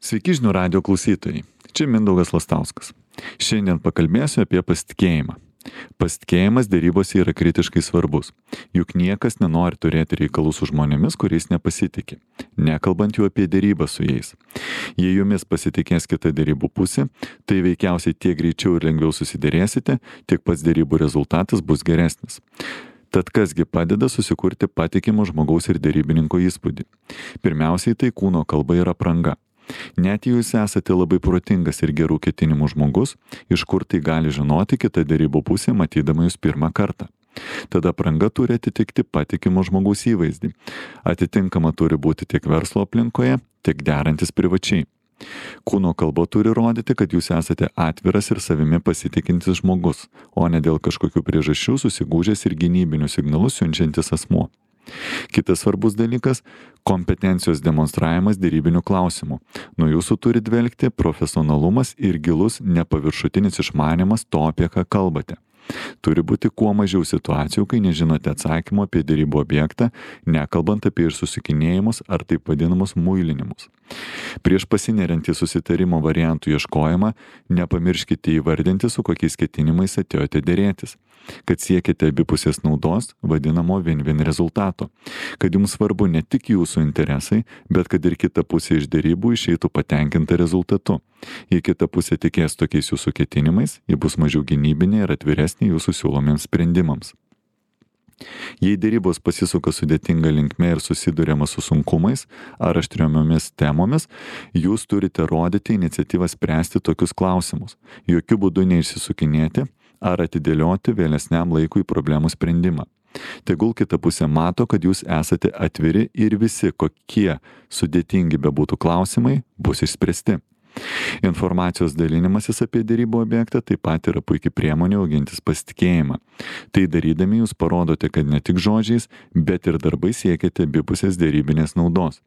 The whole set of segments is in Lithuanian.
Sveiki žinių radio klausytojai, čia Mindaugas Lastauskas. Šiandien pakalbėsiu apie pasitikėjimą. Pasitikėjimas dėrybose yra kritiškai svarbus, juk niekas nenori turėti reikalų su žmonėmis, kuriais nepasitikė, nekalbant jau apie dėrybą su jais. Jei jumis pasitikės kita dėrybų pusė, tai veikiausiai tiek greičiau ir lengviau susidėrėsite, tiek pats dėrybų rezultatas bus geresnis. Tad kasgi padeda susikurti patikimo žmogaus ir dėrybininko įspūdį? Pirmiausiai tai kūno kalba ir apranga. Net jei jūs esate labai protingas ir gerų ketinimų žmogus, iš kur tai gali žinoti kita dėrybų pusė matydama jūs pirmą kartą? Tada apranga turi atitikti patikimo žmogaus įvaizdį. Atitinkama turi būti tiek verslo aplinkoje, tiek derantis privačiai. Kūno kalba turi rodyti, kad jūs esate atviras ir savimi pasitikintis žmogus, o ne dėl kažkokių priežasčių susigūžęs ir gynybinius signalus siunčiantis asmuo. Kitas svarbus dalykas - kompetencijos demonstravimas dėrybinių klausimų. Nuo jūsų turi dvelkti profesionalumas ir gilus nepaviršutinis išmanimas to, apie ką kalbate. Turi būti kuo mažiau situacijų, kai nežinote atsakymo apie dėrybų objektą, nekalbant apie išsusikinėjimus ar taip vadinamus muilinimus. Prieš pasineriant į susitarimo variantų ieškojimą, nepamirškite įvardinti, su kokiais ketinimais atėjote dėrėtis. Kad siekite abipusės naudos, vadinamo win-win rezultato. Kad jums svarbu ne tik jūsų interesai, bet kad ir kita pusė iš dėrybų išeitų patenkinta rezultatu. Jei kita pusė tikės tokiais jūsų ketinimais, ji bus mažiau gynybinė ir atviresnė jūsų siūlomiems sprendimams. Jei dėrybos pasisuka sudėtinga linkme ir susiduriama su sunkumais ar aštriomis temomis, jūs turite rodyti iniciatyvą spręsti tokius klausimus. Jokių būdų neišsisukinėti ar atidėlioti vėlesniam laikui problemų sprendimą. Tegul kita pusė mato, kad jūs esate atviri ir visi, kokie sudėtingi bebūtų klausimai, bus išspręsti. Informacijos dalinimasis apie dėrybų objektą taip pat yra puikia priemonė augintis pasitikėjimą. Tai darydami jūs parodote, kad ne tik žodžiais, bet ir darbai siekiate abipusės dėrybinės naudos.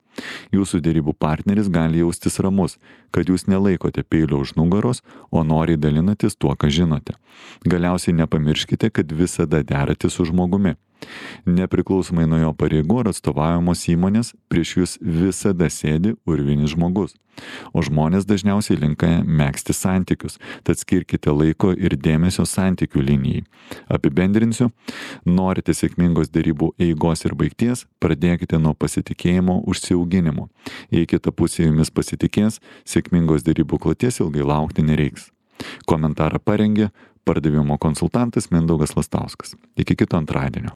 Jūsų dėrybų partneris gali jaustis ramus, kad jūs nelaikote peilio už nugaros, o noriai dalinatės tuo, ką žinote. Galiausiai nepamirškite, kad visada deratės su žmogumi. Nepriklausomai nuo jo pareigų ar atstovaujamos įmonės, prieš jūs visada sėdi urvinis žmogus. O žmonės dažniausiai linkę megzti santykius, tad skirkite laiko ir dėmesio santykių linijai. Apibendrinsiu, norite sėkmingos dėrybų eigos ir baigties, pradėkite nuo pasitikėjimo užsiauginimo. Jei kita pusė jumis pasitikės, sėkmingos dėrybų kloties ilgai laukti nereiks. Komentarą parengė pardavimo konsultantas Mindaugas Lastauskas. Iki kito antradienio.